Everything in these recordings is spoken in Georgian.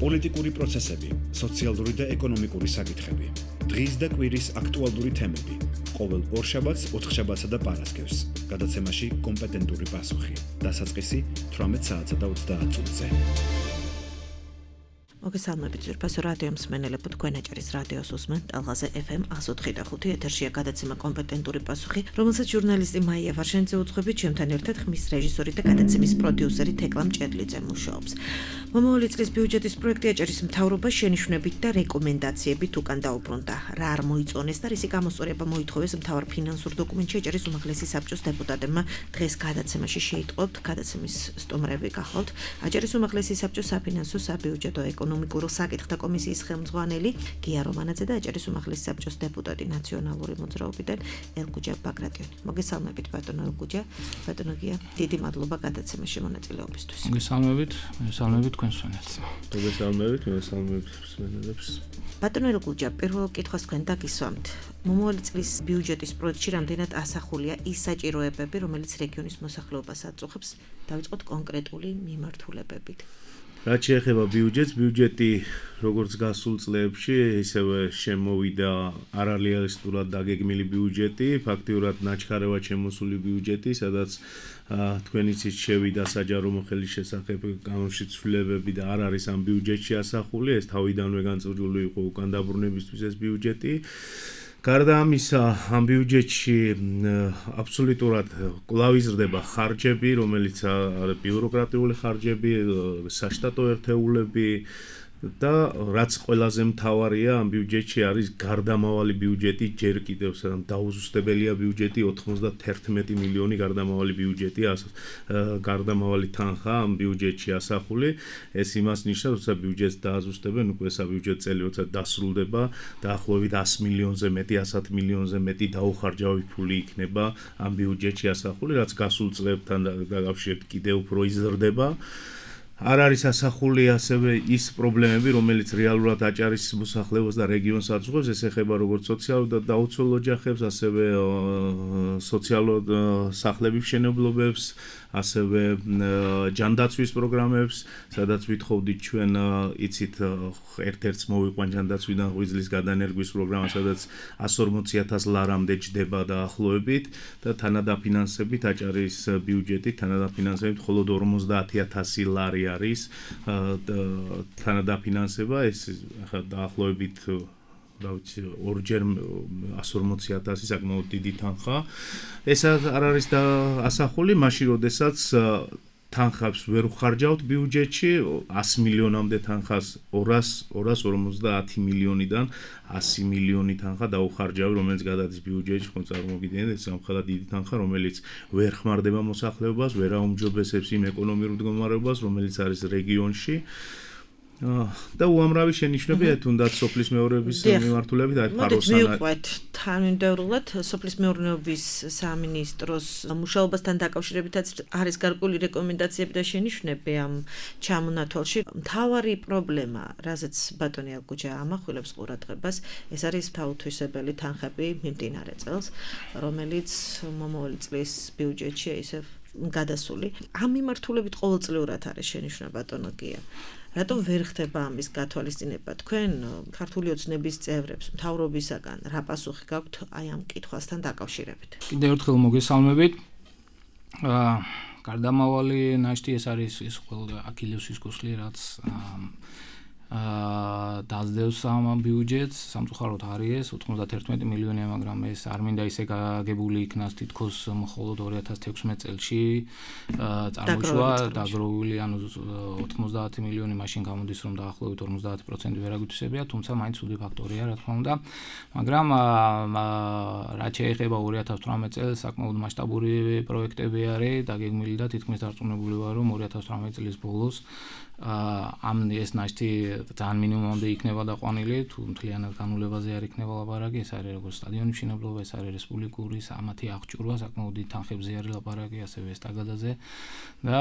პოლიტიკური პროცესები, სოციალური და ეკონომიკური საკითხები. დღის და კვირის აქტუალური თემები. ყოველ ორშაბათს, ოთხშაბათსა და პარასკევს. გადაცემაში კომპეტენტური პასუხი. დასაწყისი 18 საათსა და 30 წუთზე. მოგესალმებით ძვირფასო რადიო მსმენელებო, თქვენ აჭარის რადიოს უსმენთ ტალღაზე FM 104.5 ეთერშია გადაცემა კომპეტენტური პასუხი, რომელსაც ჟურნალისტი მაია ვარშენიძე უძღვებით, ჩემთან ერთად ხმის რეჟისორი და გადაცემის პროდიუსერი თეკლა მჭედლიძე მუშაობს. მომავალი წლის ბიუჯეტის პროექტი აჭარის მთავრობას შენიშვნებით და რეკომენდაციებით უკან დაუბრუნდა. რა არ მოიწონეს და რისი გამოსწორება მოითხოვეს მთავარ ფინანსურ დოკუმენტში აჭარის უმაღლესი საბჭოს დეპუტატებმა დღეს გადაცემაში შეიტყობთ. გადაცემის სტუმრები გახლავთ აჭარის უმაღლესი საბჭოს საფინანსო, საბიუჯეტო, ეკონომიკურ საკითხთა კომისიის ხელმძღვანელი გია რომანაძე და აჭარის უმაღლესი საბჭოს დეპუტატი ნაციონალური მოძრაობიდან ელგუჯა ბაგრატიონი. მოგესალმებით ბატონო ელგუჯა, ბატონო გია, დიდი მადლობა გადაცემაში მონაწილეობისთვის. მოგესალმებით თქვენ მსმენელს. მოგესალმებით მსმენელებს. ბატონო ელგუჯა, პირველ კითხვას თქვენ დაგისვამთ. მომავალი წლის ბიუჯეტის პროექტში რამდენად ასახულია ის საჭიროებები, რომელიც რეგიონის მოსახლეობას აწუხებს, დავიწყოთ კონკრეტული მიმართულებებით. რაც შეეხება ბიუჯეტი როგორც გასულ წლებში, ისევე შემოვიდა არარეალისტურად დაგეგმილი ბიუჯეტი, ფაქტიურად ნაჩქარევად შემოსული ბიუჯეტი, სადაც თქვენ იცით შევიდა საჯარო მოხელის შესახებ განმშეცვლებები და არ არის ამ ბიუჯეტში ასახული, ეს თავიდანვე განწყვეტილი იყო უკან დაბრუნებისთვის ეს ბიუჯეტი. გარდა ამისა, ამ ბიუჯეტში აბსოლუტურად კვლავ იზრდება ხარჯები, რომელიც არის ბიუროკრატიული ხარჯები, საშტატო ერთეულები და რაც ყველაზე მთავარია ამ ბიუჯეტში არის გარდამავალი ბიუჯეტი, ჯერ კიდევ დაუზუსტებელია ბიუჯეტი, 91 მილიონი გარდამავალი ბიუჯეტი, გარდამავალი თანხა ამ ბიუჯეტში ასახული. ეს იმას ნიშნავს, როცა ბიუჯეტს დააზუსტებენ, უკვე საბიუჯეტო წელი როცა დასრულდება, დაახლოებით 100 მილიონზე მეტი, 110 მილიონზე მეტი დაუხარჯავი ფული იქნება ამ ბიუჯეტში ასახული, რაც გასულ წლებთან დაკავშირებით კიდევ უფრო იზრდება. არ არის ასახული ასევე ის პრობლემები, რომელიც რეალურად აჭარის მოსახლეობას და რეგიონს აწუხებს, ეს ეხება როგორც სოციალურ და დაუცველ ოჯახებს, ასევე სოციალურ სახლების მშენებლობებს, ასევე ჯანდაცვის პროგრამებს, სადაც ვითხოვდით ჩვენ იცით ერთ-ერთს მოვიყვან ჯანდაცვიდან ღვიძლის გადანერგვის პროგრამა, სადაც 140,000 ლარამდე ჯდება დაახლოებით და თანადაფინანსებით აჭარის ბიუჯეტი თანადაფინანსებით მხოლოდ 50,000 ლარი არის თანადაფინანსება, ეს დაახლოებით ორჯერ 140,000 საკმაოდ დიდი თანხა. ეს არ არის ასახული მაშინ, როდესაც თანხებს ვერ ვხარჯავთ ბიუჯეტში, 100 მილიონამდე თანხას 250 მილიონიდან 100 მილიონი თანხა დაუხარჯავი, რომელიც გადადის ბიუჯეტში, ხომ წარმოგიდგენთ, ეს სამხელად დიდი თანხა, რომელიც ვერ ხმარდება მოსახლეობას, ვერ აუმჯობესებს იმ ეკონომიკურ მდგომარეობას, რომელიც არის რეგიონში. და უამრავი შენიშვნებია თუნდაც სოფლის მეურნეობის მიმართულებით აი ფაროსანა. მივყვეთ თანმიმდევრულად სოფლის მეურნეობის სამინისტროს მუშაობასთან დაკავშირებითაც არის გარკვეული რეკომენდაციები და შენიშვნები ამ ჩამონათვალში. მთავარი პრობლემა, რაზეც ბატონი ელგუჯა ამახვილებს ყურადღებას, ეს არის თავთვისებელი თანხები მიმდინარე წელს, რომელიც მომავალი წლის ბიუჯეტში ისევ გადასული. ამ მიმართულებით ყოველწლიურად არის შენიშვნა ბატონო გია. რატომ ვერ ხდება ამის გათვალისწინება? თქვენ ქართული ოცნების წევრებს მთავრობისაგან რა პასუხი გაქვთ აი ამ კითხვასთან დაკავშირებით? კიდევ ერთხელ მოგესალმებით. გარდამავალი ნაშთი ეს არის ის ყველა აქილევსის კუსლი, რაც დაძდევს ამ ბიუჯეტს, სამწუხაროდ არის 91 მილიონია, მაგრამ ეს არ მინდა ისე გაგებული იქნას თითქოს მხოლოდ 2016 წელში წარმოიშვა დაგროვილი, ანუ 90 მილიონი მაშინ გამოდის, რომ დაახლოებით 50% ვერაგვითვისებია, თუმცა მაინც უდი ფაქტორია, რა თქმა უნდა, მაგრამ რაც შეეხება 2018 წელს, საკმაოდ მასშტაბური პროექტები არის დაგეგმილი და თითქმის დარწმუნებული ვარ, რომ 2018 წლის ბოლოს ამ ეს ნაშთი ძალიან მინიმუმამდე იქნება დაყვანილი, თუ მთლიანად განულებაზე არ იქნება ლაპარაკი, ეს არის როგორც სტადიონის მშენებლობა, ეს არის რესპუბლიკური სამათი აღჭურვა, საკმაოდ დიდ თანხებზე არის ლაპარაკი, ასევე ესტაგადაზე და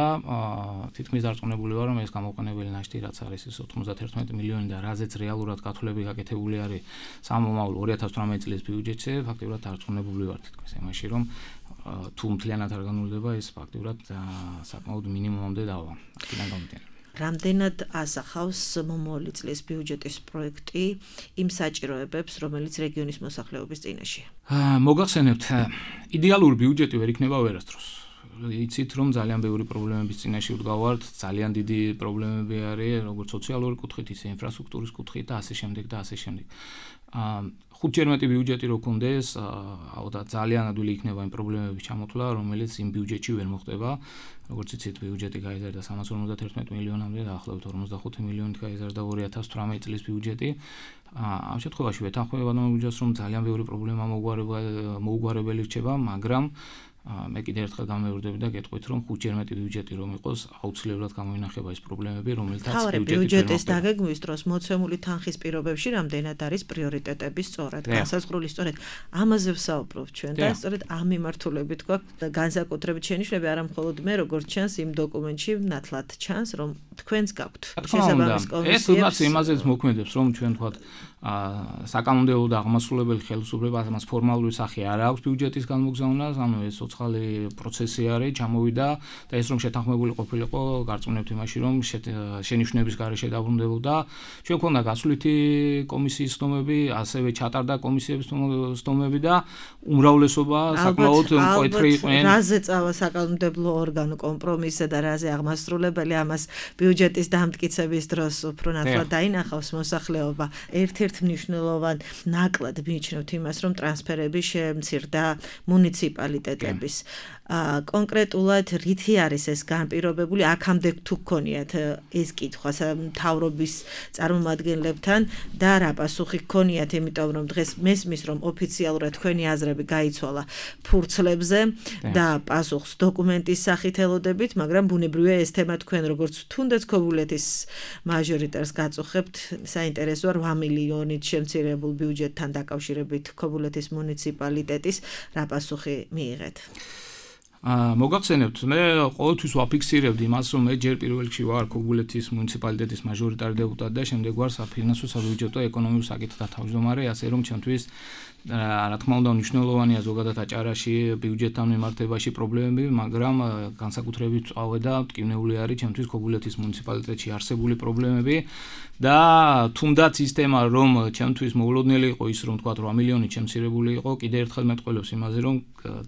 თითქმის დარწმუნებული ვარ, რომ ეს გამოყენებელი ნაშთი, რაც არის ის 91 მილიონი და რაზეც რეალურად გათვლები გაკეთებული არის სამომავლო 2018 წლის ბიუჯეტზე, ფაქტიურად დარწმუნებული ვარ თითქმის იმაში, რომ თუ მთლიანად არ განულდება, ეს ფაქტიურად საკმაოდ მინიმუმამდე დავა. აქედან გამომდინარე. რამდენად ასახავს მომავალი წლის ბიუჯეტის პროექტი იმ საჭიროებებს, რომელიც რეგიონის მოსახლეობის წინაშეა? მოგახსენებთ, იდეალური ბიუჯეტი ვერ იქნება ვერასდროს. იცით რომ ძალიან ბევრი პრობლემების წინაშე ვდგავართ, ძალიან დიდი პრობლემები არის, როგორც სოციალური კუთხით, ისე ინფრასტრუქტურის კუთხით და ასე შემდეგ და ასე შემდეგ. 5-ჯერ მეტი ბიუჯეტი რო გქონდეს, ალბათ ძალიან ადვილი იქნება იმ პრობლემების ჩამოთვლა, რომელიც იმ ბიუჯეტში ვერ მოხდება. როგორც იცით, ბიუჯეტი გაიზარდა 351 მილიონამდე, დაახლოებით 45 მილიონით გაიზარდა 2018 წლის ბიუჯეტი. ამ შემთხვევაში ვეთანხმება ნომერჯას, რომ ძალიან ბევრი პრობლემა მოუგვარებელი რჩება, მაგრამ მე კიდევ ერთხელ გამეორდები და გეტყვით, რომ 5-ჯერ მეტი ბიუჯეტი რომ იყოს, აუცილებლად გამოინახება ის პრობლემები, რომელთაც ბიუჯეტის დაგეგმვის დროს მოცემული თანხის პირობებში რამდენად არის პრიორიტეტები სწორად, განსაზღვრული სწორად. ამაზე ვსაუბრობთ ჩვენ და სწორედ ამ მიმართულებით გვაქვს განსაკუთრებით შენიშვნები, არა მხოლოდ მე, როგორც ჩანს იმ დოკუმენტში, ნათლად ჩანს, რომ თქვენს გაქვთ შესაბამის კომისიებს. ეს თუნდაც იმაზეც მოქმედებს, რომ ჩვენ თქვათ საკანონმდებლო და აღმასრულებელი ხელისუფლებას ამას ფორმალური სახე არ აქვს ბიუჯეტის განმოგზავნას, ანუ ეს ცოცხალი პროცესი არის, ჩამოვიდა და ეს რომ შეთანხმებული ყოფილიყო, გარწმუნებთ იმაში, რომ შენიშვნების გარეშე დაბრუნდებოდა. ჩვენ ქონდა გასვლითი კომისიის სტომები, ასევე ჩატარდა კომისიების სტომები და უმრავლესობა საკმაოდ მკვეთრი იყვნენ. რაზე წავა საკანონმდებლო ორგანო კომპრომისზე და რაზე აღმასრულებელი ამას ბიუჯეტის დამტკიცების დროს უფრო ნათლად დაინახავს მოსახლეობა. ერთ-ერთ მნიშვნელოვან ნაკლად მიიჩნევთ იმას, რომ ტრანსფერები შემცირდა მუნიციპალიტეტების. კონკრეტულად რითი არის ეს განპირობებული? აქამდე თუ გქონიათ ეს კითხვა მთავრობის წარმომადგენლებთან და რა პასუხი გქონიათ, იმიტომ რომ დღეს მესმის, რომ ოფიციალურად თქვენი აზრები გაიცვალა ფურცლებზე და პასუხს დოკუმენტის სახით ელოდებით, მაგრამ ბუნებრივია ეს თემა თქვენ როგორც თუნდაც ქობულეთის მაჟორიტარს გაწუხებთ, საინტერესოა 8 მილიონით შემცირებულ ბიუჯეტთან დაკავშირებით ქობულეთის მუნიციპალიტეტის რა პასუხი მიიღეთ? მოგახსენებთ, მე ყოველთვის ვაფიქსირებდი იმას, რომ მე ჯერ პირველ რიგში ვარ ქობულეთის მუნიციპალიტეტის მაჟორიტარი დეპუტატი და შემდეგ ვარ საფინანსო, საბიუჯეტო, ეკონომიკურ საკითხთა თავმჯდომარე, ასე რომ ჩემთვის რა თქმა უნდა მნიშვნელოვანია ზოგადად აჭარაში ბიუჯეტთან მიმართებაში პრობლემები, მაგრამ განსაკუთრებით წავე და მტკივნეული არის ჩემთვის ქობულეთის მუნიციპალიტეტში არსებული პრობლემები და თუნდაც ის თემა, რომ ჩემთვის მოულოდნელი იყო ის, რომ თქვა 8 მილიონი შემცირებული იყო, კიდევ ერთხელ მეტყველებს იმაზე, რომ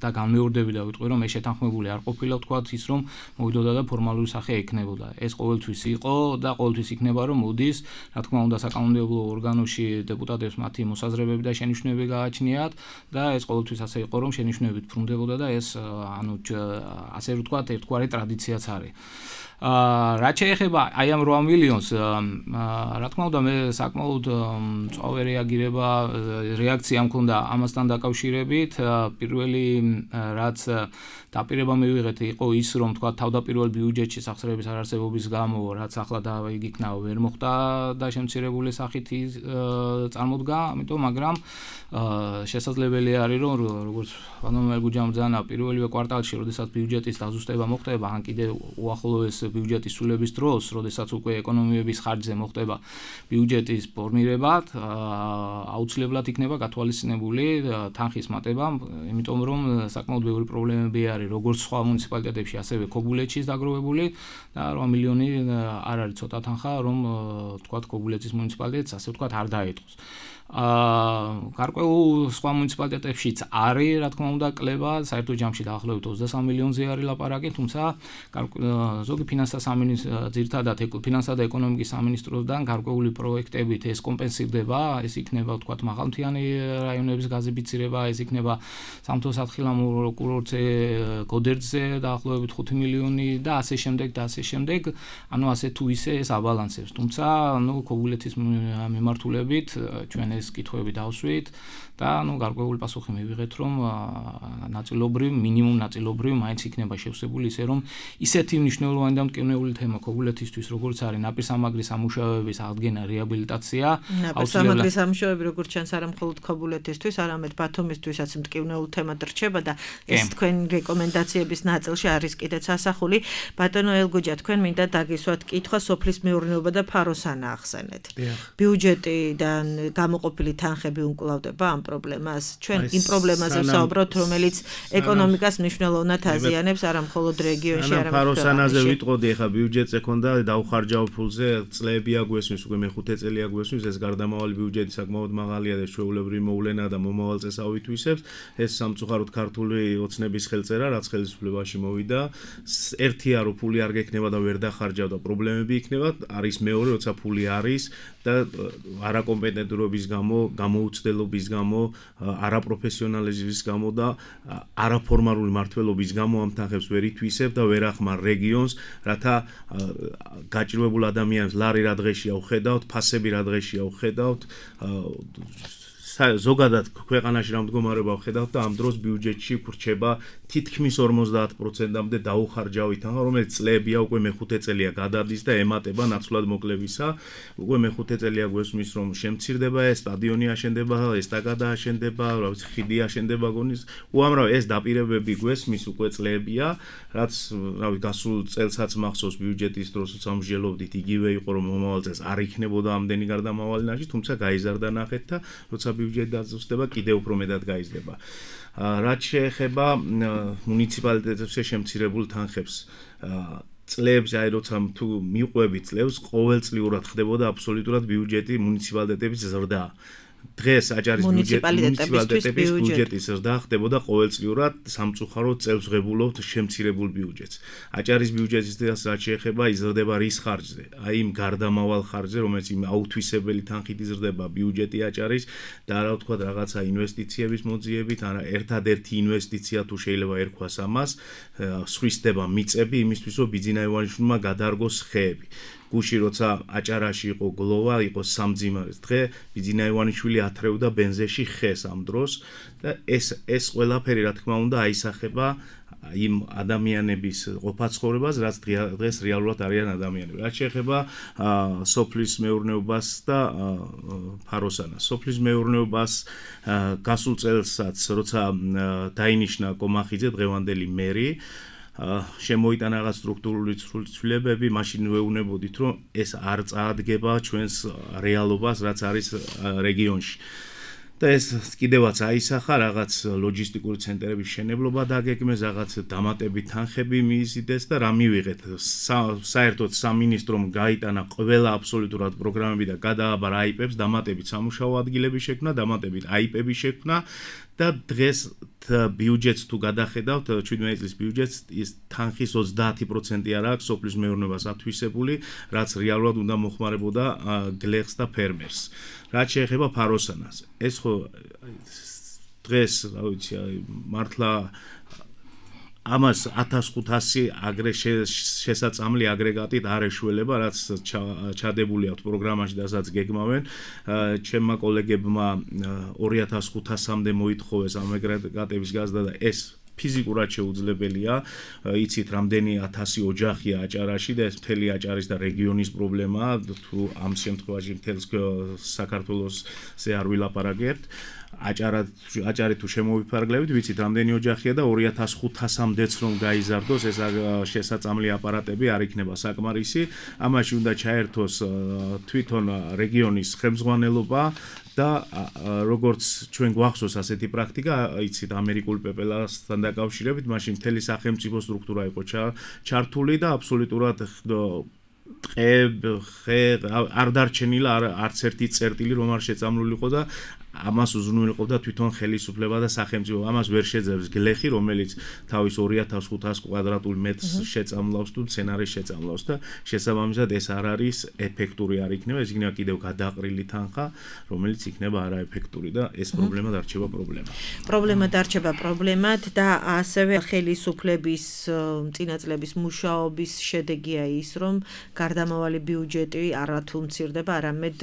და განმეორდები და ვიტყვი, რომ ეს შეთანხმებული არ ყოფილა, თქვა ის, რომ მოვიდოდა და ფორმალური სახე ექნებოდა. ეს ყოველთვის იყო და ყოველთვის იქნება, რომ მოდის, რა თქმა უნდა, საკანონმდებლო ორგანოში დეპუტატებს მათი მოსაზრებები და შენიშვნები გააჩნიათ და ეს ყოველთვის ასე იყო, რომ შენიშვნებით ბრუნდებოდა და ეს ანუ ასე ვთქვათ, ერთგვარი ტრადიციაც არის. რაც შეეხება აი ამ 8 მილიონს, რა თქმა უნდა, მე საკმაოდ მწვავე რეაქცია მქონდა ამასთან დაკავშირებით. პირველი რაც დაპირება მივიღეთ იყო ის, რომ თქვა თავდაპირველ ბიუჯეტში სახსრების არარსებობის გამო, რაც ახლა დაიგიქნა ვერ მოხდა და შემცირებული სახით წარმოდგა, ამიტომ მაგრამ შესაძლებელი არის, რომ როგორც ვანომელ გუჯამბძანა პირველივე კვარტალში, როდესაც ბიუჯეტის დაზუსტება მოხდება, ან კიდევ უახლოეს ბიუჯეტის სრულების დროს, როდესაც უკვე ეკონომიების ხარჯზე მოხდება ბიუჯეტის ფორმირება, აუცილებლად იქნება გათვალისწინებული თანხის მატება, იმიტომ რომ საკმაოდ ბევრი პრობლემები არის როგორც სხვა მუნიციპალიტეტებში, ასევე ქობულეთშიც დაგროვებული და 8 მილიონი არ არის ცოტა თანხა, რომ თქვათ ქობულეთის მუნიციპალიტეტს ასე ვთქვათ არ დაეტყოს. გარკვეულ სხვა მუნიციპალიტეტებშიც არის, რა თქმა უნდა, კლება, საერთო ჯამში დაახლოებით 23 მილიონზე არის ლაპარაკი, თუმცა ზოგი ძირითადად ფინანსთა და ეკონომიკის სამინისტროსთან გარკვეული პროექტებით ეს კომპენსირდება, ეს იქნება, ვთქვათ, მაღალმთიანი რაიონების გაზიფიცირება, ეს იქნება სამთო-სათხილამურო კურორტზე, გოდერძზე დაახლოებით 5 მილიონი და ასე შემდეგ და ასე შემდეგ, ანუ ასე თუ ისე ეს აბალანსებს. თუმცა, ქობულეთის მიმართულებით ჩვენ ეს კითხვები დავსვით და გარკვეული პასუხი მივიღეთ, რომ მინიმუმ ნაწილობრივ მაინც იქნება შევსებული ისე, რომ ისეთი მნიშვნელოვანი და მტკივნეული თემა ქობულეთისთვის, როგორც არის ნაპირსამაგრის სამუშაოების აღდგენა, რეაბილიტაცია, ნაპირსამაგრის სამუშაოები, როგორც ჩანს, არა მხოლოდ ქობულეთისთვის, არამედ ბათუმისთვისაც მტკივნეულ თემად რჩება და ეს თქვენ რეკომენდაციების ნაწილში არის კიდეც ასახული. ბატონო ელგუჯა, თქვენ მინდა დაგისვათ კითხვა სოფლის მეურნეობა და ფაროსანა ახსენეთ. ბიუჯეტიდან გამოყოფილი თანხები უმკლავდება ამ პრობლემას. ჩვენ იმ პრობლემაზე ვსაუბრობთ, რომელიც ეკონომიკას მნიშვნელოვნად აზიანებს, არა მხოლოდ რეგიონში, არამედ ფაროსანაზე ვიტყო, ვიყოდი ახლა ბიუჯეტზე ქონდა დაუხარჯავ ფულზე წლები აგვესმის უკვე მე-5 წელი აგვესმის ეს გარდამავალი ბიუჯეტი საკმაოდ მაღალია და ჩვეულებრივი მოვლენა და მომავალ წელს ავითვისებს ეს სამწუხაროდ ქართული ოცნების ხელწერა რაც ხელისუფლებაში მოვიდა ერთია რომ ფული არ გექნება და ვერ დახარჯავ და პრობლემები იქნება არის მეორე როცა ფული არის და არაკომპეტენტურობის გამო გამოუცდელობის გამო არაპროფესიონალიზმის გამო და არაფორმალური მმართველობის გამო ამ თანხებს ვერ ითვისებ და ვერ ახმარ რეგიონს რათა გაჭირვებულ ადამიანებს ლარი რა დღეშია უხედავთ ფასები რა დღეშია უხედავთ ზოგადად ქვეყანაში რა მდგომარეობა ვხედავთ და ამ დროს ბიუჯეტში ვრჩება თითქმის 50%-მდე დაუხარჯავი თანხა, რომელიც წლებია უკვე მე-5 წელია გადადის და ემატება ნაცვლად მოკლებისა. უკვე მე-5 წელია გვესმის რომ შემცირდება ეს სტადიონი აშენდება, ესტაკადა აშენდება, რა ვიცი, ხიდი აშენდება გონის. უამრავ ეს დაპირებები გვესმის უკვე წლებია, რაც რა ვიცი, გასულ წელსაც მახსოვს ბიუჯეტის დროს სამსჯელობდით იგივე იყო რომ მომავალ წელს არ იქნებოდა ამდენი გარდამავალი ნაშთი, თუმცა გაიზარდა ნახეთ და როცა ბიუჯეტი დაზუსტდება, კიდევ უფრო მეტად გაიზრდება. რაც შეეხება მუნიციპალიტეტებზე შემცირებულ თანხებს, წლებს, აი როცა თუ მიყვები წლებს, ყოველწლიურად ხდებოდა აბსოლუტურად ბიუჯეტი მუნიციპალიტეტების ზრდა. დღეს აჭარის მუნიციპალიტეტების ბიუჯეტის ზრდა ხდებოდა ყოველწლიურად სამწუხაროდ წელს ვღებულობთ შემცირებულ ბიუჯეტს. აჭარის ბიუჯეტის რაც შეეხება იზრდება რის ხარჯზე? აი იმ გარდამავალ ხარჯზე, რომელიც იმ აუთვისებელი თანხით იზრდება ბიუჯეტი აჭარის და რა ვთქვათ რაღაცა ინვესტიციების მოძიებით, არა ერთადერთი ინვესტიცია თუ შეიძლება ერქვას ამას, სხვისდება მიწები იმისთვის, რომ ბიძინა ივანიშვილმა გადარგოს ხეები. გუში როცა აჭარაში იყო გლოვა, იყო სამძიმარის დღე, ბიძინა ივანიშვილი ათრევდა ბენზეში ხეს ამ დროს და ეს ყველაფერი რა თქმა უნდა აისახება იმ ადამიანების ყოფაცხოვრებას, რაც დღეს რეალურად არიან ადამიანები. რაც შეეხება სოფლის მეურნეობას და ფაროსანას. სოფლის მეურნეობას გასულ წელსაც, როცა დაინიშნა კომახიძე დღევანდელი მერი, შემოიტანა რაღაც სტრუქტურული ცვლილებები, მაშინ ვეუბნებოდით, რომ ეს არ წაადგება ჩვენს რეალობას, რაც არის რეგიონში. და ეს კიდევაც აისახა რაღაც ლოჯისტიკური ცენტრების შენებლობა დაგეგმეს, რაღაც დამატებით თანხები მიიზიდეს და რა მივიღეთ. საერთოდ სამინისტრომ გაიტანა ყველა აბსოლუტურად პროგრამები და გადააბარა აიპებს, დამატებით სამუშაო ადგილები შექმნა, დამატებით აიპები შექმნა და დღეს ბიუჯეტს თუ გადახედავთ 17 წლის ბიუჯეტს ის თანხის 30% არ აქვს სოფლის მეურნეობას ათვისებული, რაც რეალურად უნდა მოხმარებოდა გლეხს და ფერმერს. რაც შეეხება ფაროსანას, ეს ხო დღეს, რა ვიცი, მართლა ამას 1500 შესაწამლი აგრეგატით არ ეშველება, რაც ჩადებული აქვს პროგრამაში და სადაც გეგმავენ. ჩემმა კოლეგებმა 2500-მდე მოითხოვეს ამ აგრეგატების გაზრდა და ეს ფიზიკურად შეუძლებელია. იცით, რამდენი 1000 ოჯახია აჭარაში და ეს მთელი აჭარის და რეგიონის პრობლემაა, თუ ამ შემთხვევაში მთელს საქართველოსზე არ ვილაპარაკებთ. აჭარი თუ შემოვიფარგლებით, ვიცით, რამდენი ოჯახია და 2500-მდეც რომ გაიზარდოს ეს შესაწამლი აპარატები არ იქნება საკმარისი. ამაში უნდა ჩაერთოს თვითონ რეგიონის ხელმძღვანელობა და როგორც ჩვენ გვახსოვს ასეთი პრაქტიკა, იცით, ამერიკულ პეპელასთან დაკავშირებით, მაშინ მთელი სახელმწიფო სტრუქტურა იყო ჩართული და აბსოლუტურად არ დარჩენილა არც ერთი წერტილი რომ არ შეწამლულიყო და ამას უზრუნველყოფდა თვითონ ხელისუფლება და სახელმწიფო. ამას ვერ შეძლებს გლეხი, რომელიც თავის 2500 კვადრატულ მეტრს შეწამლავს თუ მცენარეს შეწამლავს და შესაბამისად ეს არ არის ეფექტური არ იქნება, ეს იქნება კიდევ გადაყრილი თანხა, რომელიც იქნება არაეფექტური და ეს პრობლემა დარჩება პრობლემა. პრობლემა დარჩება პრობლემად და ასევე ხელისუფლების წინა წლების მუშაობის შედეგია ის, რომ გარდამავალი ბიუჯეტი არათუ მცირდება, არამედ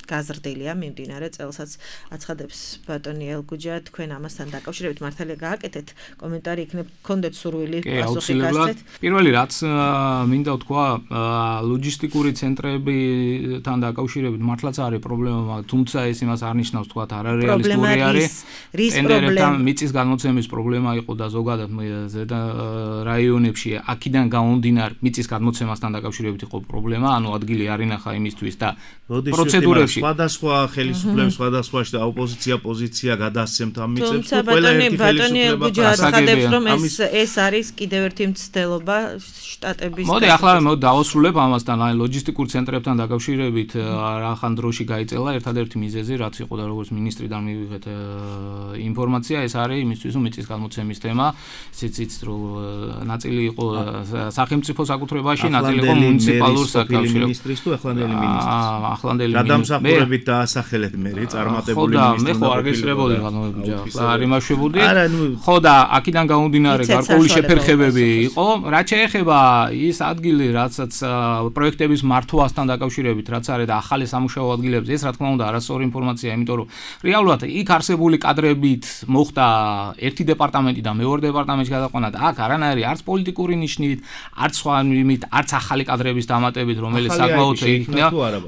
გაზრდილია მიმდინარე წელსაც აცხადებს ბატონი ელგუჯა. თქვენ ამასთან დაკავშირებით მართალია გააკეთეთ კომენტარი, იქნებ გქონდეთ სურვილი პასუხი გასცეთ. პირველი რაც მინდა ვთქვა, ლოჯისტიკური ცენტრებთან დაკავშირებით მართლაც არის პრობლემა, თუმცა ეს იმას არ ნიშნავს თქვა არარეალისტური არის. ტენდერებთან მიწის გადმოცემის პრობლემა იყო და ზოგადად ზედა რაიონებში აქედან გამომდინარე მიწის გადმოცემასთან დაკავშირებით იყო პრობლემა, ანუ ადგილი არ ინახა იმისთვის და პროცედურებში სხვადასხვა ხელისუფლების სხვადასხვა ოპოზიცია პოზიცია გადასცემთ ამ მიწებს თუ ყველა ერთი ხელისუფლება ხადებს რომ ეს არის კიდევ ერთი მცდელობა შტატების მოდი ახლა დავასრულებ ამასთან აი ლოჯისტიკურ ცენტრებთან დაკავშირებით რახან დროში გაიწელა ერთადერთი მიზეზი რაც იყო და როგორც მინისტრიდან მივიღეთ ინფორმაცია ეს არის იმისთვის რომ მიწის გადმოცემის თემა ისიც რომ ნაწილი იყო სახელმწიფო საკუთრებაში ნაწილი იყო მუნიციპალურ საკავშირო მინისტრის თუ ახლანდელი მინისტრის ახლანდელი გადამსახურებით დაასახელეთ მე წარმატებული მინისტრი ხო არ გესწრებოდი ხანმოებიჯა არ იმაშვებოდი ხო და აქედან გამომდინარე გარკვეული შეფერხებები იყო რაც შეეხება ის ადგილი რაცაც პროექტების მართვასთან დაკავშირებით რაც არის და ახალი სამუშაო ადგილებზე ეს რა თქმა უნდა არასწორი ინფორმაცია იმიტომ რომ რეალურად იქ არსებული კადრებით მოხდა ერთი დეპარტამენტი და მეორე დეპარტამენტში გადაყვანა და აქ არანაირი არც პოლიტიკური ნიშნით არც სხვა იმით არც ახალი კადრების დამატებით რომელიც საკმაოდ იქნა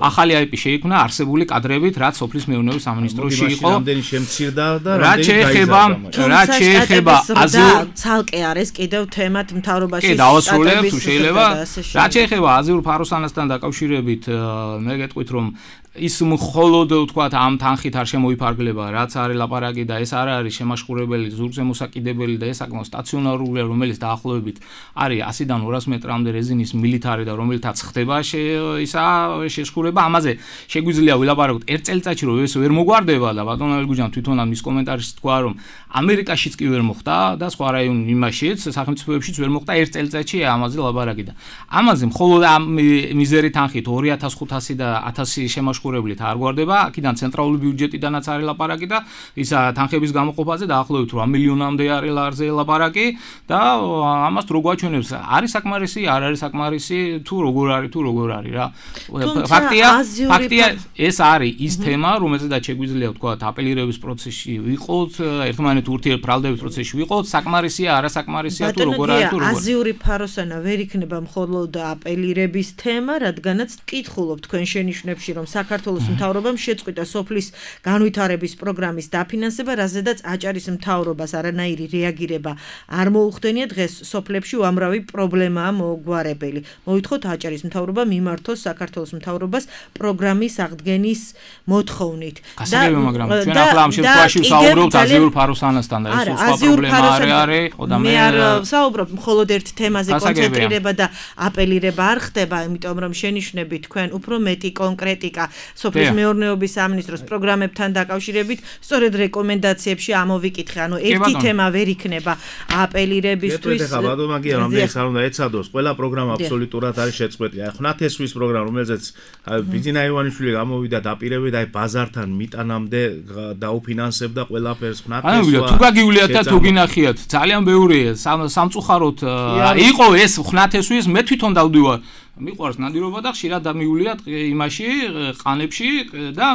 ახალი IP შეიქმნა არსებული კადრებით რაც სოფლის მეურნეობის სამინისტროში იყო რამდენი შემცირდა და რაც შეეხება ცალკე არის კიდევ თემად მთავრობაში კი დავასრულებ თუ შეიძლება რაც შეეხება აზიურ ფაროსანასთან დაკავშირებით მე გეტყვით რომ ის მხოლოდ ვთქვათ ამ თანხით არ შემოიფარგლება რაც არის ლაპარაკი და ეს არ არის შემაშხურებელი ზურგზე მოსაკიდებელი და ეს საკმაოდ სტაციონარულია რომელიც დაახლოებით არის 100-დან 200 მეტრამდე რეზინის მილიტარი და რომელთაც ხდება ისა შეშხურება ამაზე შეგვიძლია ვილაპარაკოთ ერთ წელიწადში რომ ეს ვერ მოგვარდება და ბატონ ელგუჯან თვითონაც მის კომენტარში თქვა რომ ამერიკაშიც კი ვერ მოხდა და სხვა რაიონ იმაშიც სახელმწიფოებშიც ვერ მოხდა ერთ წელიწადში ამაზე ლაპარაკი და ამაზე მხოლოდ ამ მიზერი თანხით 2500 და 1000 შემაშხურებლით არ გვარდება აქედან ცენტრალური ბიუჯეტიდანაც არის ლაპარაკი და ისა თანხების გამოყოფაზე დაახლოებით 8 მილიონამდე არის ლარზე ლაპარაკი და ამას რო გვაჩვენებს არის საკმარისი არ არის საკმარისი თუ როგორ არის რა ფაქტია ეს არის ის თემა რომელზედაც შეგვიძლია ვთქვათ апелირების პროცესში ვიყოთ ერთმანეთ ურთიერთბრალდების პროცესში ვიყოთ საკმარისია არასაკმარისია თუ როგორ არის თუ როგორ აზიური ფაროსანა ვერ იქნება მხოლოდ апелირების თემა რადგანაც ვკითხულობ თქვენ შენიშვნებში რომ საქართველოს მთავრობამ შეწყვიტა სოფლის განვითარების პროგრამის დაფინანსება, რაზედაც აჭარის მთავრობას არანაირი რეაგირება არ მოუხდენია დღეს სოფლებში უამრავი პრობლემაა მოგვარებელი. მოითხოვთ აჭარის მთავრობა მიმართოს საქართველოს მთავრობას პროგრამის აღდგენის მოთხოვნით. გასაგებია, მაგრამ ჩვენ ახლა ამ შემთხვევაში ვსაუბრობთ აზიურ ფაროსანასთან და ეს სხვა პრობლემა არის და მე არ ვსაუბრობ მხოლოდ ერთ თემაზე კონცენტრირება და апелირება არ ხდება, იმიტომ რომ შენიშვნები თქვენ უფრო მეტი კონკრეტიკა სოფლის მეურნეობის სამინისტროს პროგრამებთან დაკავშირებით სწორედ რეკომენდაციებში ამოვიკითხე. ანუ ერთი თემა ვერ იქნება апелირებისთვის. ეხლა ბატონო მაგია რამდენი არ უნდა ეცადოს. ყველა პროგრამა აბსოლუტურად არის შეწყვეტილი. აი ხნათესვის პროგრამა, რომელზეც ბიძინა ივანიშვილი გამოვიდა დაპირებით, აი ბაზართან მიტანამდე დაუფინანსებდა ყველაფერს ხნათესვა. თუ გაგიულიათ და თუ გინახიათ, ძალიან ბევრია სამწუხაროდ იყო ეს ხნათესვის მე თვითონ დავდივარ. მიყვარს ნადირობა და ხშირად დამიულიათ იმაში ყანებში და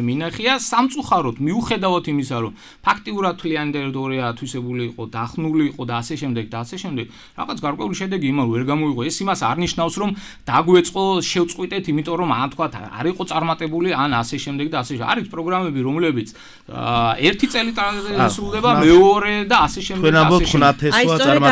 მინახია სამწუხაროდ მიუხედავად იმისა რომ ფაქტიურად თლიანი ტერიტორია ათვისებული იყო, დახნული იყო და ასე შემდეგ და ასე შემდეგ რაღაც გარკვეული შედეგი იმან ვერ გამოიღო. ეს იმას არ ნიშნავს რომ დაგვეწყო შევწყვიტეთ, იმიტომ რომ ან თქვა არ იყო წარმატებული ან ასე შემდეგ და ასე არის პროგრამები რომლებიც ერთი წელიწადში სრულდება, მეორე და ასე შემდეგ და ასე შემდეგ. აი სწორედ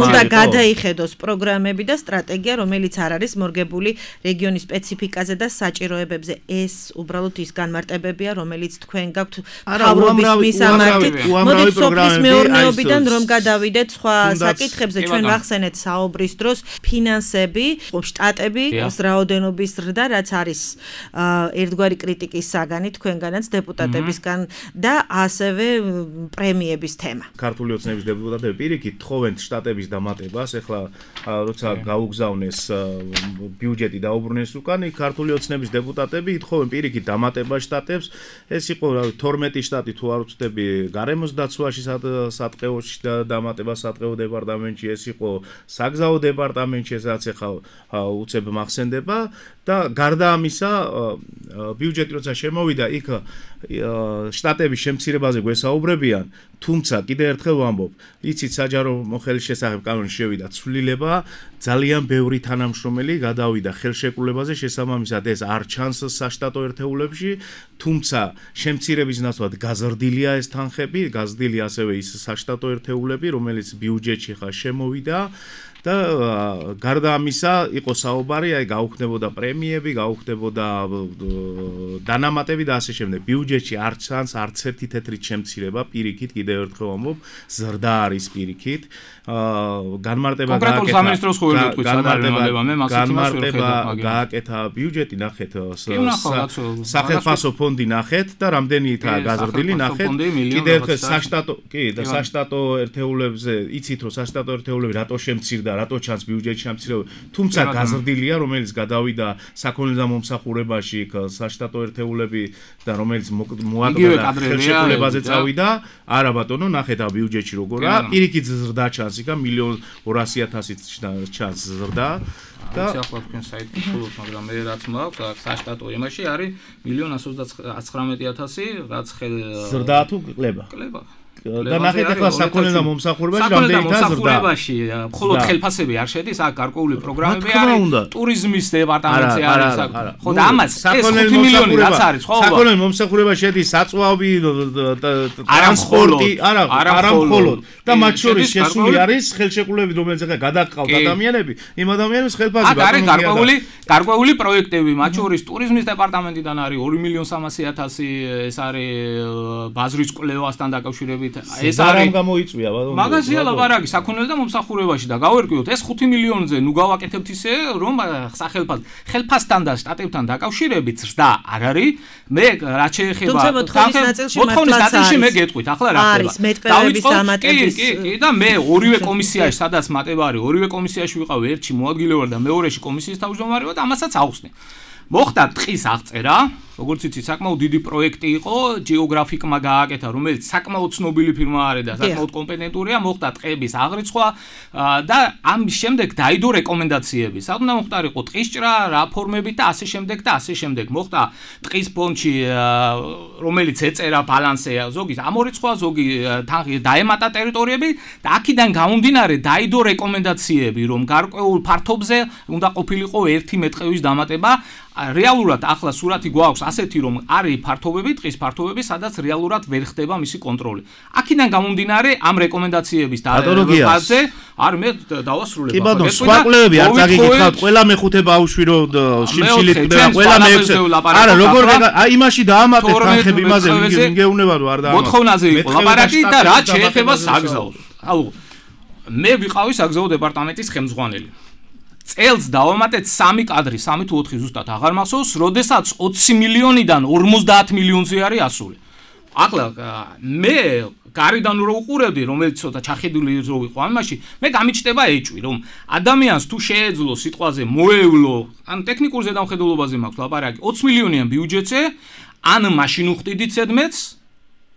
უნდა გადაიხედოს პროგრამები და სტრატეგია რომელიც არის მორგებული რეგიონის სპეციფიკაზე და საჭიროებებზე. ეს უბრალოდ ის განმარტებებია, რომელიც თქვენ გაქვთ თავრობის მისამართით. მოდით სოფლის მეურნეობიდან რომ გადავიდეთ სხვა საკითხებზე, ჩვენ ვახსენეთ საუბრის დროს ფინანსები, შტატები, რაოდენობის ზრდა, რაც არის ერთგვარი კრიტიკის საგანი თქვენგანაც დეპუტატებისგან და ასევე პრემიების თემა. ქართული ოცნების დეპუტატები პირიქით თხოვენ შტატების დამატებას, ეხლა როცა გაუგზავნეს ბიუჯეტი დაუბრუნეს უკან, ქართული ოცნების დეპუტატები ითხოვენ პირიქით დამატებას შტატებს. ეს იყო 12 შტატი თუ არ ვცდები გარემოს დაცვაში სატყეოში და დამატება სატყეო დეპარტამენტში, ეს იყო საგზაო დეპარტამენტში, ესაც ახლა უცებ მახსენდება და გარდა ამისა ბიუჯეტი როცა შემოვიდა, იქ შტატების შემცირებაზე გვესაუბრებიან, თუმცა კიდევ ერთხელ ვამბობ, იცით საჯარო მოხელის შესახებ კანონში შევიდა ცვლილება, ძალიან ბევრი თანამშრომელი გადავიდა ხელშეკრულებაზე, შესაბამისად ეს არ ჩანს საშტატო ერთეულებში, თუმცა შემცირების ნაცვლად გაზრდილია ეს თანხები, გაზრდილი ასევე ის საშტატო ერთეულები, რომელიც ბიუჯეტში ხა შემოვიდა და გარდა ამისა იყო საუბარი, აი გაუხდებოდა პრემიები, გაუხდებოდა დანამატები და ასე შემდეგ. ბიუჯეტში არც ერთი თეთრით შემცირება, პირიქით კიდევ ერთხელ ვამბობ, ზრდა არის პირიქით. განმარტება გააკეთა ბიუჯეტი, ნახეთ, სახელმწიფო ფონდი ნახეთ და რამდენითა გაზრდილი ნახეთ. კიდევ ერთხელ საშტატო ერთეულებზე იცით რომ საშტატო ერთეულები რატო შემცირდა, რატო ჩანს ბიუჯეტში შემცირება, თუმცა გაზრდილია, რომელიც გადავიდა საქონელთა მომსახურებაში, საშტატო ერთეულები და რომელიც მოაკლდა ხელშეკრულებაზე წავიდა, არა ბატონო, ნახეთ ბიუჯეტში როგორა, პირიქით ზრდა ჩანს, იქა 1,200,000 ჩანს ზრდა. და ახლა თქვენ საიტი ხულობთ, მაგრამ მე რაც მაქვს საშტატო იმაში არის 1,119,000, რაც ზრდაა თუ კლება? კლება. და ნახეთ ახლა საქონელთა მომსახურებაში რამდენი ზრდა? მხოლოდ ხელფასები არ შედის, აქ გარკვეული პროგრამები არის, ტურიზმის დეპარტამენტზე არის. ხო და ამას ეს 5 მილიონი რაც არის, ხო? საქონელთა მომსახურებაში შედის საწვავი, ტრანსპორტი, არა მხოლოდ. და მათ შორის შესული არის ხელშეკრულებები, რომელიც ახლა გადაყავთ ადამიანები, იმ ადამიანებს ხელფასი ბატონო. აქ არის გარკვეული პროექტები, მათ შორის ტურიზმის დეპარტამენტიდან არის 2,300,000, ეს არის ბაზრის კვლევასთან დაკავშირებით. ეს არის გამოიწვია ბატონო. მაგაზია ლაპარაკი საქონელთა მომსახურებაში და გავერკვიოთ ეს 5 მილიონზე ნუ გავაკეთებთ ისე რომ ხელფასთან და შტატებთან დაკავშირებით ზრდა არ არის. მე რაც შეეხება მოთხოვნის ნაწილში მე გეტყვით ახლა რა ხდება. კი და მე ორივე კომისიაში სადაც მატება არის, ორივე კომისიაში ვიყავ, ერთში მოადგილეობარ და მეორეში კომისიის თავმჯდომარე ვარ და ამასაც ავხსნე. მოხდა ტყის აღწერა, როგორც იცით, საკმაოდ დიდი პროექტი იყო, გეოგრაფიკმა გააკეთა, რომელიც საკმაოდ ცნობილი ფირმა არის და საკმაოდ კომპეტენტურია, მოხდა ტყების აღრიცხვა და ამის შემდეგ დაიდო რეკომენდაციები. საერთოდ მოხდარიყო ტყისჭრა, რაფორმებით და ასე შემდეგ და ასე შემდეგ. მოხდა ტყის ფონდში, რომელიც ეწერა ბალანსზე, ზოგი ამორიცხვა, ზოგი დაემატა ტერიტორიები და აქედან გამომდინარე დაიდო რეკომენდაციები, რომ გარკვეულ ფართობზე უნდა ყოფილიყო 1 მეტყევის დამატება. რეალურად ახლა სურათი გვაქვს ასეთი რომ არის ფართობები, ტყის ფართობები, სადაც რეალურად ვერ ხდება მისი კონტროლი. აქედან გამომდინარე ამ რეკომენდაციების და ფაზზე არ მე დავასრულებ. კი ბატონო, სხვა კვლევები არ წაგიგიხავთ, ყველა მეხუთე ბავშვი რო შიმშილით ყდება, ყველა მეექვსე. არა, როგორ აი იმაში დაამატეთ თანხები იმაზე, მიგეუნება რომ არ დაამატეთ. მოთხოვნაზე იყო ლაპარაკი და რაც შეეხება საგზაოს. აუ მე ვიყავი საგზაო დეპარტამენტის ხელმძღვანელი. წელს დავამატეთ 3 კადრი, 3 თუ 4 ზუსტად აღარ მახსოვს, როდესაც 20 მილიონიდან 50 მილიონზე არის ასული. ახლა მე გარიდან რო უყურებდი, რომელიც ცოტა ჩახედული რო ვიყო ამაში, მე გამიჩნდება ეჭვი, რომ ადამიანს თუ შეეძლო სიტყვაზე მოევლო, ან ტექნიკურ ზედამხედველობაზე მაქვს ლაპარაკი, 20 მილიონიან ბიუჯეტზე, ან მაშინ უხდიდით ზედმეტს,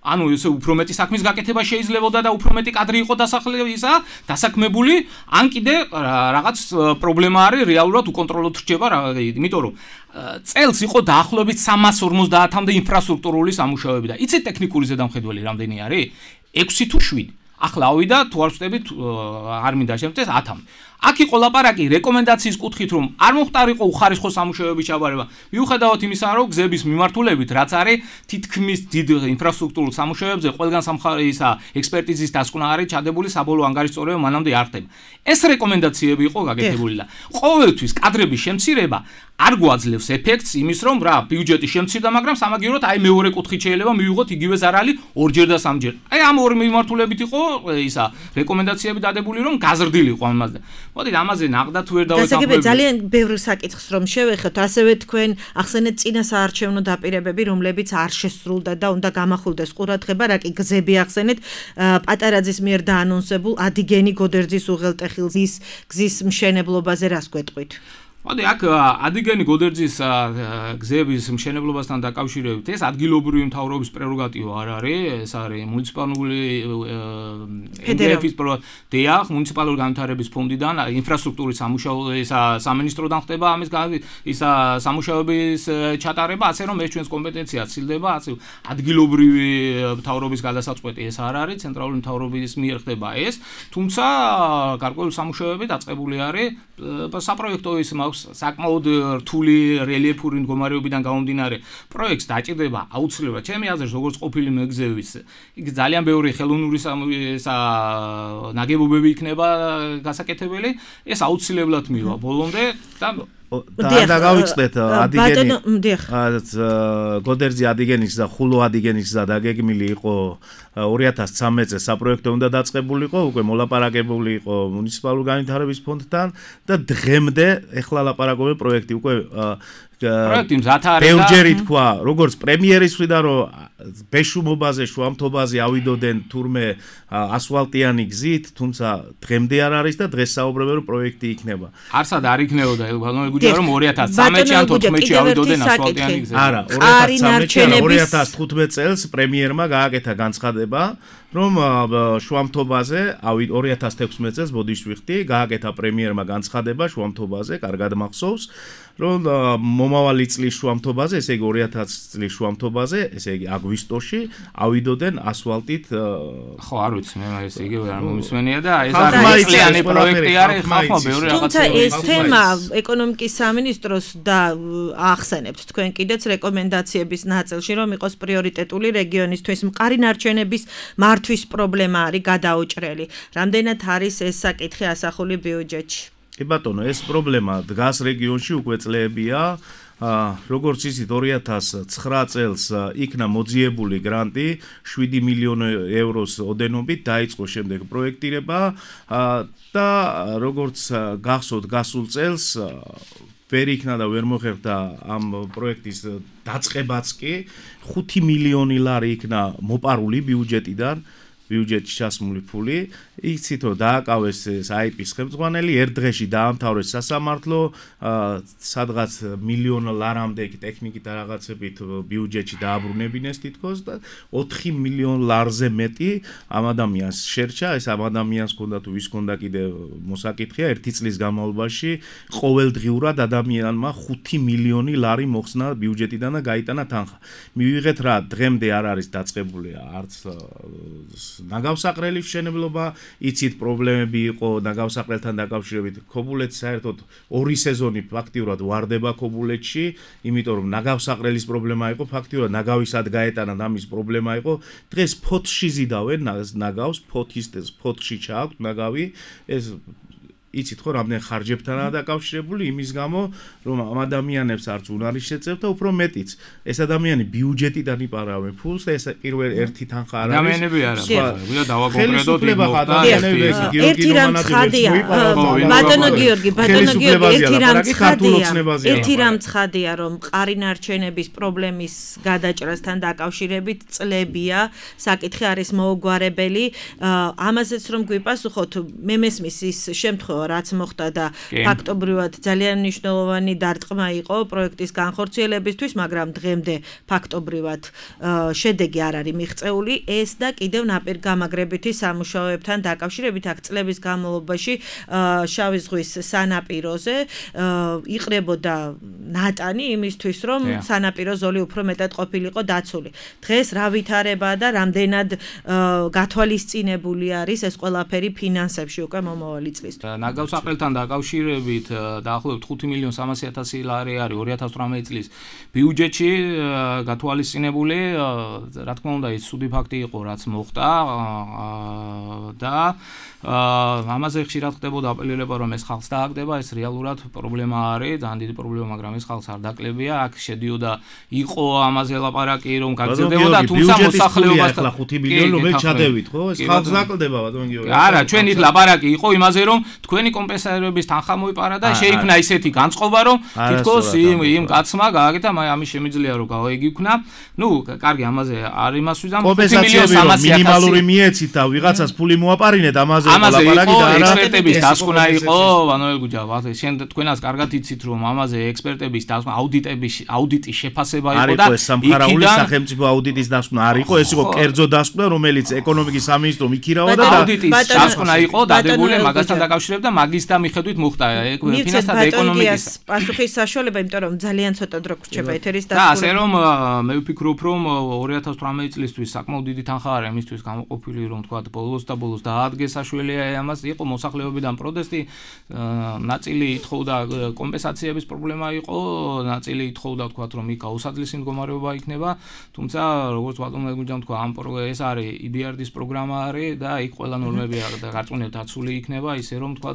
ანუ ესე უფრო მეტი საქმის გაკეთება შეიძლებოდა და უფრო მეტი კადრი იყო დასაქმებული, ან კიდე რაღაც პრობლემა არის, რეალურად უკონტროლოდ რჩება, იმიტომ რომ წელს იყო დაახლოებით 350-მდე ინფრასტრუქტურული სამუშაოები და იცით ტექნიკური ზედამხედველი რამდენი არის? 6 თუ 7. ახლა ავიდა თუ არ ვწდებით, არ მინდა შემწეს 10-მდე. აქ იყო ლაპარაკი რეკომენდაციის კუთხით, რომ არ მოხდარიყო უხარისხო სამუშაოების ჩაბარება. მიუხედავად იმისა, რომ გზების მიმართულებით, რაც არის თითქმის დიდ ინფრასტრუქტურულ სამუშაოებზე, ყველგან სამხარეისა ექსპერტიზის დასკვნა არის ჩადებული, საბოლოო ანგარიშწორება მანამდე არ ხდება. ეს რეკომენდაციები იყო გაკეთებული და ყოველთვის კადრების შემცირება არ გვაძლევს ეფექტს იმის, რომ რა ბიუჯეტი შემცირდა, მაგრამ სამაგიეროდ აი მეორე კუთხით შეიძლება მივიღოთ იგივე ზარალი ორჯერ და სამჯერ. აი ამ ორი მიმართულებით იყო ისა რეკომენდაციები დადებული, რომ გაზრდილიყო ამაზე. მოდით ამაზე ნახდათ ვერ დავეთანხმებთ. ძალიან ბევრი საკითხს რომ შევეხოთ, ასევე თქვენ ახსენეთ წინა საარჩევნო დაპირებები, რომლებიც არ შესრულდა და უნდა გამახვილდეს ყურადღება, რა კი გზები ახსენეთ, პატარაძის მიერ დაანონსებულ ადიგენი გოდერძის უღელტეხილზის გზის მშენებლობაზე რას გვეტყვით? მოდი აქ ადიგენი გოდერძის გზების მშენებლობასთან დაკავშირებით ეს ადგილობრივი მთავრობის პრეროგატივა არ არის, ეს არის მუნიციპალური დეახ, მუნიციპალური განვითარების ფონდიდან ინფრასტრუქტურის სამუშაო სამინისტროდან ხდება ამის სამუშაოების ჩატარება, ასე რომ ეს ჩვენს კომპეტენციად ცილდება, ასე ადგილობრივი მთავრობის გადასაწყვეტი ეს არ არის, ცენტრალური მთავრობის მიერ ხდება ეს, თუმცა გარკვეული სამუშაოები დაწყებული არის საპროექტო ის აქვს საკმაოდ რთული რელიეფური მდგომარეობიდან გამომდინარე პროექტს დაჭირდება აუცილებლად ჩემი აზრით როგორც ყოფილი მეგზევის იქ ძალიან ბევრი ხელოვნური ნაგებობები იქნება გასაკეთებელი ეს აუცილებლად მივა ბოლომდე და გავიწდეთ ადიგენის გოდერძი ადიგენის და ხულო ადიგენის და დაგეგმილი იყო 2013 წელს საპროექტო უნდა დაწყებულიყო უკვე მოლაპარაკებული იყო მუნიციპალური განვითარების ფონდთან და დღემდე ეხლა ლაპარაკობენ პროექტი უკვე პროექტი მზად არის და ბევრჯერი თქვა როგორც პრემიერის მხრიდან რომ ბეშუმობაზე შუამთობაზე ავიდოდენ თურმე ასფალტიანი გზით თუმცა დღემდე არ არის და დღეს საუბრობენ რომ პროექტი იქნება არსად არ იქნებოდა გუჯა რომ 2013-ში ან 14-ში ავიდოდენ ასფალტიანი გზით არა 2015 წელს პრემიერმა გააკეთა განცხადება რომ შუამთობაზე 2016 წელს ბოდიშვიხტი გააკეთა პრემიერმა განცხადება შუამთობაზე კარგად მახსოვს რომ მომავალი წლის შუამთობაზე ესე იგი 2000 წლის შუამთობაზე ესე იგი აგვისტოში ავიდოდენ ასფალტით ხო არ ვიცი მე ეს იგივე არ მომისმენია და ეს არის წლიანი პროექტი არის ხალხმა ბევრი რაღაცა თუმცა ეს თემა ეკონომიკის სამინისტროს და ახსენებთ თქვენ კიდეც რეკომენდაციების ნაწილში რომ იყოს პრიორიტეტული რეგიონისთვის მყარი ნარჩენების მართვის პრობლემა არის გადაუჭრელი რამდენად არის ეს საკითხი ასახული ბიუჯეტში კი ბატონო ეს პრობლემა დგას რეგიონში უკვე წლებია როგორც იცით 2009 წელს იქნა მოძიებული გრანტი 7 მილიონი ევროს ოდენობით დაიწყო შემდეგ პროექტირება და როგორც გახსოვთ გასულ წელს ვერ იქნა და ვერ მოხერხდა ამ პროექტის დაწყებაც კი 5 მილიონი ლარი იქნა მოპარული ბიუჯეტიდან ბიუჯეტში ჩასმული ფული იცით რომ დააკავეს IP-ის ხელმძღვანელი ერთ დღეში დაამთავრეს სასამართლო სადღაც მილიონ ლარამდე ტექნიკით და რაღაცებით ბიუჯეტში დააბრუნებინეს თითქოს და 4 მილიონ ლარზე მეტი ამ ადამიანს შერჩა ეს ამ ადამიანს ჰქონდა თუ ვის ჰქონდა კიდე მოსაკითხია ერთი წლის განმავლობაში ყოველდღიურად ადამიანმა 5 მილიონი ლარი მოხსნა ბიუჯეტიდან და გაიტანა თანხა მივიღეთ რა დღემდე არ არის დაწყებული არც ნაგავსაყრელის მშენებლობა იცით პრობლემები იყო ნაგავსაყრელთან დაკავშირებით ქობულეთს საერთოდ ორი სეზონი ფაქტიურად ვარდება ქობულეთში იმიტომ რომ ნაგავსაყრელის პრობლემა იყო ფაქტიურად ნაგავისად გაეტანა და ამის პრობლემა იყო დღეს ფოთში ზიდავენ ნაგავს ფოთში ჩააქვთ ნაგავი ეს იცით ხო რამდენ ხარჯებთანაა დაკავშირებული იმის გამო რომ ამ ადამიანებს არც უნარი შეწევთ და უფრო მეტიც ეს ადამიანი ბიუჯეტიდან იპარავენ ფულს და ეს პირველ ერთი თანხა არ არის ადამიანები არა ვიდა დავაკონკრეტოთ ერთი რამ ცხადია ბატონო გიორგი ერთი რამ ცხადია რომ მყარი ნარჩენების პრობლემის გადაჭრასთან დაკავშირებით წლებია საკითხი არის მოუგვარებელი ამაზეც რომ გვიპასუხოთ მე მესმის ის შემთხვევა რაც მოხდა და ფაქტობრივად ძალიან მნიშვნელოვანი დარტყმა იყო პროექტის განხორციელებისთვის, მაგრამ დღემდე ფაქტობრივად შედეგი არ არის მიღწეული, ეს და კიდევ ნაპირგამაგრებითი სამუშაოებთან დაკავშირებით აქ წლების განმავლობაში შავი ზღვის სანაპიროზე იყრებოდა ნატანი იმისთვის, რომ სანაპირო ზოლი უფრო მეტად ყოფილიყო დაცული. დღეს რა ვითარებაა და რამდენად გათვალისწინებული არის ეს ყველაფერი ფინანსებში უკვე მომავალი წლისთვის. ნაგავსაყრელთან დაკავშირებით დაახლოებით 5.300.000 ლარი არის 2018 წლის ბიუჯეტში გათვალისწინებული, რა თქმა უნდა, ის ცუდი ფაქტი იყო, რაც მოხდა და ამაზე ხშირად ხდებოდა აპელირება, რომ ეს ხალხს დააგდება, ეს რეალურად პრობლემა არის, ძალიან დიდი პრობლემა, მაგრამ ეს ხალხს არ დაკლებია, აქ შედიოდა იყო ამაზე ლაპარაკი, რომ გაგრძელდებოდა, თუმცა მოსახლეობასთან 5 მილიონი რომელი ჩადევით, ხო? ეს ხალხს დაკლდება, ბატონ გიორგი. არა, ჩვენ იქ ლაპარაკი იყო იმაზე, რომ თქვენი კომპენსაციების თანხა მოიპარა და შეიქმნა ისეთი განწყობა, რომ თითქოს იმ კაცმა გააკეთა, ამის შემიძლია რომ გაიგიქნა. ნუ, კარგი, ამაზე არ იმას ვიზამ 5.300.000 მინიმალური მიეცით და ვიღაცას ფული მოაპარინეთ ამაზე ლაპარაკი და არა ექსპერტების დასკვნა იყო, ვანოელ გუჯა, შენ თქვენას კარგად იცით, რომ ამაზე ექსპერტების დასკვნა, აუდიტის შეფასება იყო და არის ეს სამხარაული სახელმწიფო აუდიტის დასკვნა არ იყო, ეს იყო კერძო დასკვნა, რომელიც ეკონომიკის სამინისტრომ იქირავა და აუდიტის დასკვნა იყო დადებული მაგასთან დაკავშირებით და მაგის და მიხედვით მოხდა ფინანსთა და ეკონომიკის პასუხის საშუალება, იმიტომ რომ ძალიან ცოტა დრო გრჩება ეთერის დასკვნა. და ასე რომ მე ვფიქრობ, რომ 2018 წლისთვის საკმაოდ დიდი თანხა არის იმისთვის გამოყოფილი, რომ თქვა ბოლოს და ბოლოს დაადგეს საშუალება მიუწვევლია ამას იყო მოსახლეობიდან პროტესტი, ნაწილი ითხოვდა კომპენსაციების პრობლემა იყო, ნაწილი ითხოვდა თქვა რომ იქ გაუსაძლისი მდგომარეობა იქნება, თუმცა როგორც ბატონმა გუჯამ თქვა ამ ეს არის EBRD-ის პროგრამა არის და იქ ყველა ნორმები გარწმუნებულად დაცული იქნება, ისე რომ თქვა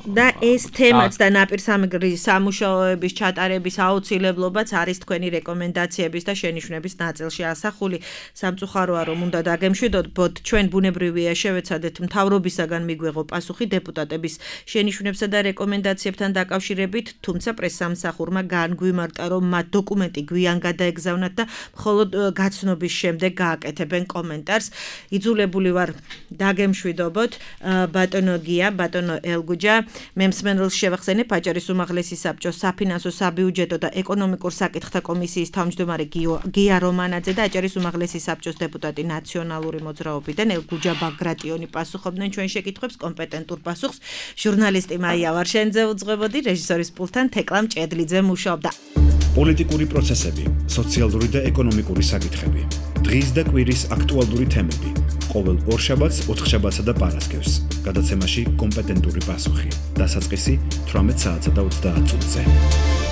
და ეს თემაც და ნაპირსამგრის სამუშაოების ჩატარების აუცილებლობაც არის თქვენი რეკომენდაციების და შენიშვნების ნაწილში ასახული. სამწუხაროა რომ უნდა დაგემშვიდოთ, ჩვენ ბუნებრივია შევეცადეთ მთავრობისაგან მიგვეღო პასუხი დეპუტატების შენიშვნებსა და რეკომენდაციებთან დაკავშირებით, თუმცა პრესსამსახურმა განგვიმარტა, რომ მათ დოკუმენტი გვიან გადაეგზავნათ და მხოლოდ გაცნობის შემდეგ გააკეთებენ კომენტარს. იძულებული ვარ დაგემშვიდობოთ, ბატონო გია, ბატონო ელგუჯა, მე მსმენელს შევახსენებ აჭარის უმაღლესი საბჭოს საფინანსო, საბიუჯეტო და ეკონომიკურ საკითხთა კომისიის თავმჯდომარე გია რომანაძე და აჭარის უმაღლესი საბჭოს დეპუტატი ნაციონალური მოძრაობიდან ელგუჯა ბაგრატიონი პასუხობდნენ ჩვენ შეკითხვებს, კომპეტენტურ პასუხს ჟურნალისტი მაია ვარშენძე უძღვებოდი, რეჟისორის პულტთან თეკლა მჭედლიძე მუშაობდა. პოლიტიკური პროცესები, სოციალური და ეკონომიკური საკითხები, დღის და კვირის აქტუალური თემები, ყოველ ორშაბათს, ოთხშაბათსა და პარასკევს, გადაცემაში კომპეტენტური პასუხი, დასაწყისი 18 საათსა და 30 წუთზე.